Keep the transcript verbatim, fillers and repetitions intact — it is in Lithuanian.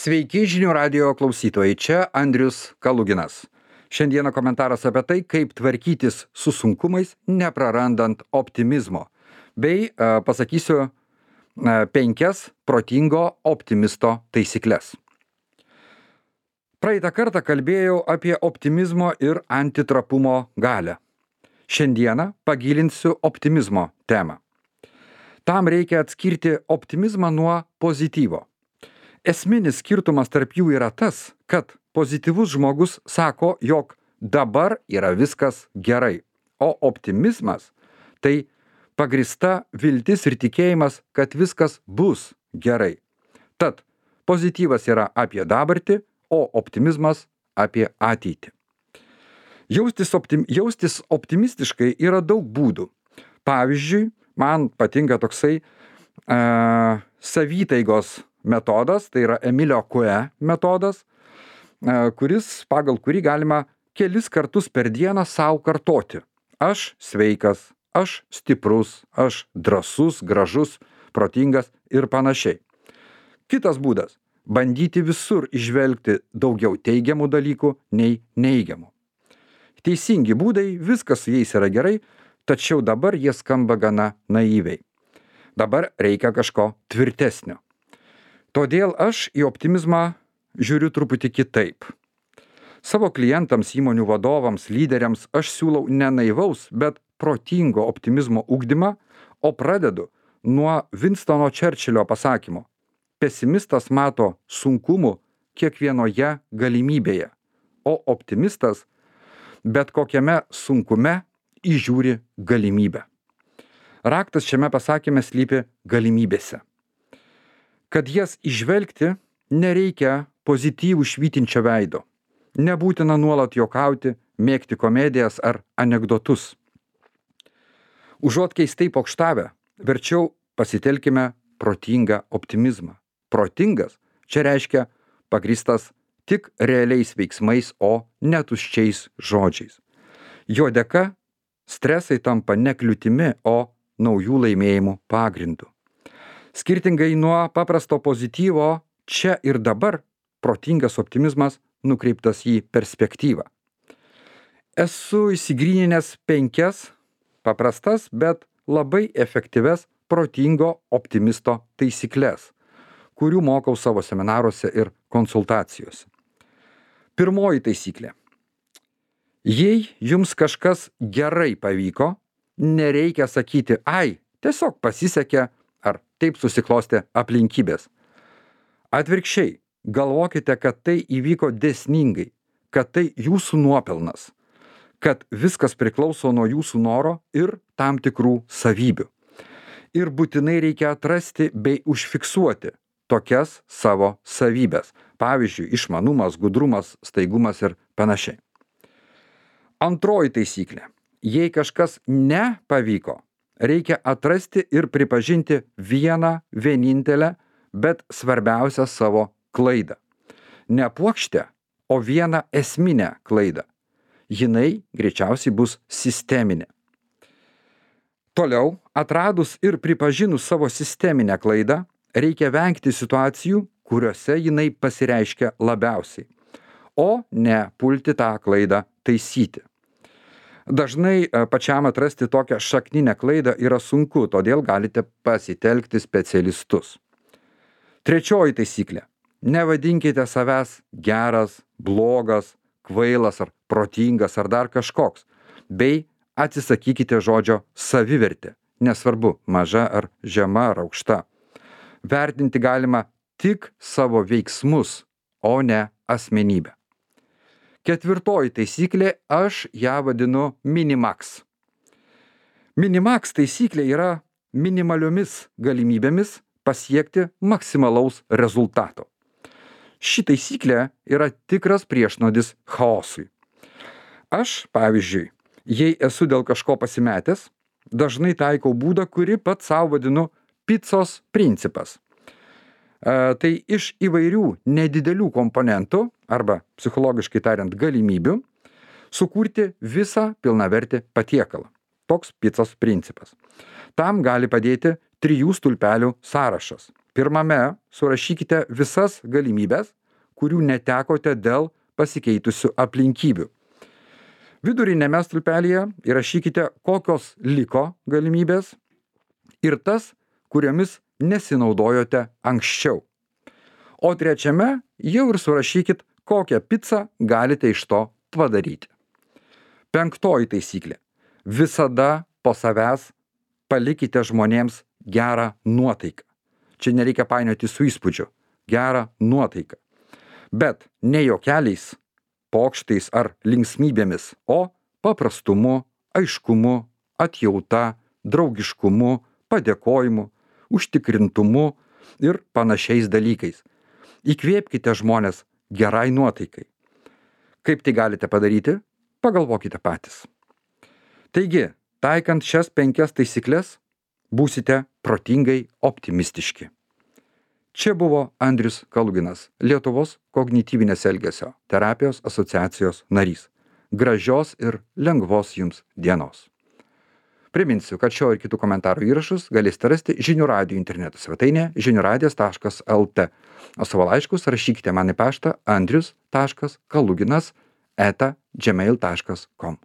Sveiki žinių radijo klausytojai, čia Andrius Kaluginas. Šiandieną komentaras apie tai, kaip tvarkytis su sunkumais, neprarandant optimizmo. Bei e, pasakysiu e, penkias protingo optimisto taisyklės. Praeitą kartą kalbėjau apie optimizmo ir antitrapumo galią. Šiandieną pagilinsiu optimizmo temą. Tam reikia atskirti optimizmą nuo pozityvo. Esminis skirtumas tarp jų yra tas, kad pozityvus žmogus sako, jog dabar yra viskas gerai, o optimizmas tai pagrįsta viltis ir tikėjimas, kad viskas bus gerai. Tad pozityvas yra apie dabartį, o optimizmas apie ateitį. Jaustis, optim, jaustis optimistiškai yra daug būdų. Pavyzdžiui, man patinka toksai uh, savytaigos metodas, tai yra Emilio Coué metodas, kuris, pagal kurį galima kelis kartus per dieną sau kartoti. Aš sveikas, aš stiprus, aš drąsus, gražus, protingas ir panašiai. Kitas būdas – bandyti visur įžvelgti daugiau teigiamų dalykų nei neigiamų. Teisingi būdai, viskas su jais yra gerai, tačiau dabar jie skamba gana naiviai. Dabar reikia kažko tvirtesnio. Todėl aš į optimizmą žiūriu truputį kitaip. Savo klientams, įmonių vadovams, lyderiams aš siūlau ne naivaus, bet protingo optimizmo ugdymą, o pradedu nuo Winstono Churchillio pasakymo. Pesimistas mato sunkumų kiekvienoje galimybėje, o optimistas bet kokiame sunkume įžiūri galimybę. Raktas šiame pasakyme slypi galimybėse. Kad jas įžvelgti, nereikia pozityvų švytinčio veido. Nebūtina nuolat juokauti, mėgti komedijas ar anekdotus. Užuot keistai pokštavę, verčiau pasitelkime protingą optimizmą. Protingas čia reiškia pagrįstas tik realiais veiksmais, o ne tuščiais žodžiais. Jo dėka stresai tampa ne kliūtimi, o naujų laimėjimų pagrindu. Skirtingai nuo paprasto pozityvo, čia ir dabar protingas optimizmas nukreiptas į perspektyvą. Esu įsigryninęs penkias paprastas, bet labai efektyves protingo optimisto taisyklės, kurių mokau savo seminaruose ir konsultacijose. Pirmoji taisyklė. Jei jums kažkas gerai pavyko, nereikia sakyti, ai, tiesiog pasisekė, ar taip susiklostė aplinkybės. Atvirkščiai, galvokite, kad tai įvyko dėsningai, kad tai jūsų nuopelnas, kad viskas priklauso nuo jūsų noro ir tam tikrų savybių. Ir būtinai reikia atrasti bei užfiksuoti tokias savo savybės. Pavyzdžiui, išmanumas, gudrumas, staigumas ir panašiai. Antroji taisyklė. Jei kažkas nepavyko, reikia atrasti ir pripažinti vieną vienintelę, bet svarbiausią savo klaidą. Ne puokštę, o vieną esminę klaidą. Jinai greičiausiai bus sisteminė. Toliau, atradus ir pripažinus savo sisteminę klaidą, reikia vengti situacijų, kuriuose jinai pasireiškia labiausiai, o ne pulti tą klaidą taisyti. Dažnai pačiam atrasti tokią šakninę klaidą yra sunku, todėl galite pasitelkti specialistus. Trečioji taisyklė. Nevadinkite savęs geras, blogas, kvailas ar protingas ar dar kažkoks, bei atsisakykite žodžio savivertė, nesvarbu, maža ar žema ar aukšta. Vertinti galima tik savo veiksmus, o ne asmenybę. Ketvirtoji taisyklė, aš ją vadinu minimax. Minimax taisyklė yra minimaliomis galimybėmis pasiekti maksimalaus rezultato. Ši taisyklė yra tikras priešnuodis chaosui. Aš, pavyzdžiui, jei esu dėl kažko pasimetęs, dažnai taikau būdą, kurį pats savo vadinu picos principas. E, tai iš įvairių nedidelių komponentų, arba psichologiškai tariant galimybių, sukurti visą pilnavertį patiekalą. Toks picos principas. Tam gali padėti trijų stulpelių sąrašas. Pirmame surašykite visas galimybės, kurių netekote dėl pasikeitusių aplinkybių. Vidurinėme stulpelyje įrašykite, kokios liko galimybės ir tas, kuriomis nesinaudojote anksčiau. O trečiame jau ir surašykit, kokią picą galite iš to padaryti. Penktoji taisyklė. Visada po savęs palikite žmonėms gerą nuotaiką. Čia nereikia painioti su įspūdžiu. Gerą nuotaiką. Bet ne juokeliais, pokštais ar linksmybėmis, o paprastumu, aiškumu, atjauta, draugiškumu, padėkojimu, užtikrintumu ir panašiais dalykais. Įkvėpkite žmonės gerai nuotaikai. Kaip tai galite padaryti? Pagalvokite patys. Taigi, taikant šias penkias taisyklės, būsite protingai optimistiški. Čia buvo Andrius Kaluginas, Lietuvos kognityvinės elgesio terapijos asociacijos narys. Gražios ir lengvos jums dienos. Priminsiu, kad šio ir kitų komentarų įrašus galėsite rasti žinių radijo interneto svetainėje žinių radijas taškas lt, o savo laiškus rašykite man į paštą andrius taškas kaluginas eta gmail taškas com.